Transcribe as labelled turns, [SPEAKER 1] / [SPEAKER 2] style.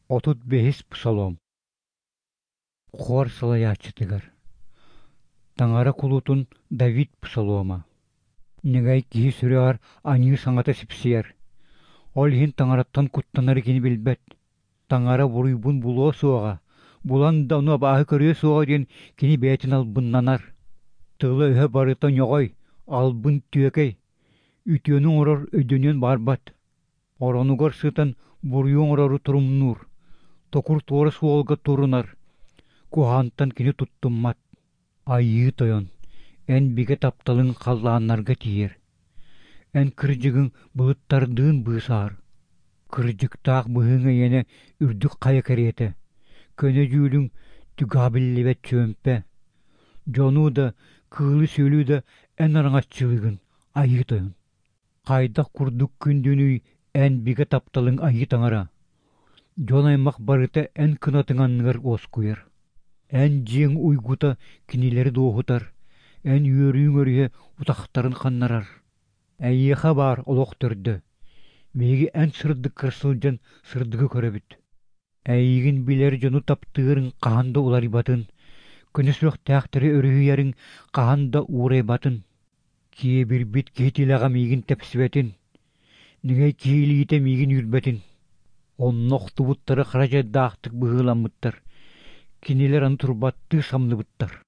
[SPEAKER 1] 35-ис Псалом. Хор салайааччытыгар. Таҥара кулутун Давид псалома. Ньыгай киһи сүрэҕэр аньыы саҥата сипсийэр. Ол иһин таҥараттан куттанары кини билбэт. Таҥара буруйбун булуо суоҕа, булан да ону абааһы көрүө суоҕа диэн кини бэйэтин албыннанар. Тыла-өһө барыта ньоҕой, албын түөкэй, үтүөнү оҥорор өйдөнүөн баҕарбат. Оронугар сытан буруйу оҥорору торумнуур, токур туора суолга турунар, куһаҕантан кини туттуммат. Айыы Тойон, эн бигэ тапталыҥ халлааннарга тиийэр, эн кырдьыгыҥ былыттардыын быысаһар. Кырдьыктаах быһыыҥ эйиэнэ үрдүк хайа кэриэтэ, көнө дьүүлүҥ түгэҕэ биллибэт чүөмпэ. Дьону да, кыылы-сүөлү да эн араҥаччылыыгын, Айыы Тойон. Хайдах курдук күндүнүй эн бигэ тапталыҥ Айыы Таҥара! Дьон-аймах барыта эн кынатыҥ анныгар уоскуйар. Эн дьиэҥ уйгута кинилэри дуоһутар, эн үөрүүҥ өрүһэ утахтарын ханнарар. Эйиэхэ баар олох төрдө. Биһиги эн сырдыккар сылдьан сырдыгы көрөбүт. Эйигин билэр дьону таптыырыҥ хаһан да уларыйбатын, көнө сүрэхтээхтэри өрүһүйэриҥ хаһан да уурайбатын. Киэбирбит киһи тилэҕэ миигин тэпсибэтин, ньэгэй киһи илиитэ миигин үүрбэтин. Онно охтубуттары хара дьайдаахтык быһыыламмыттар, кинилэр аны турбаттыы самныбыттар.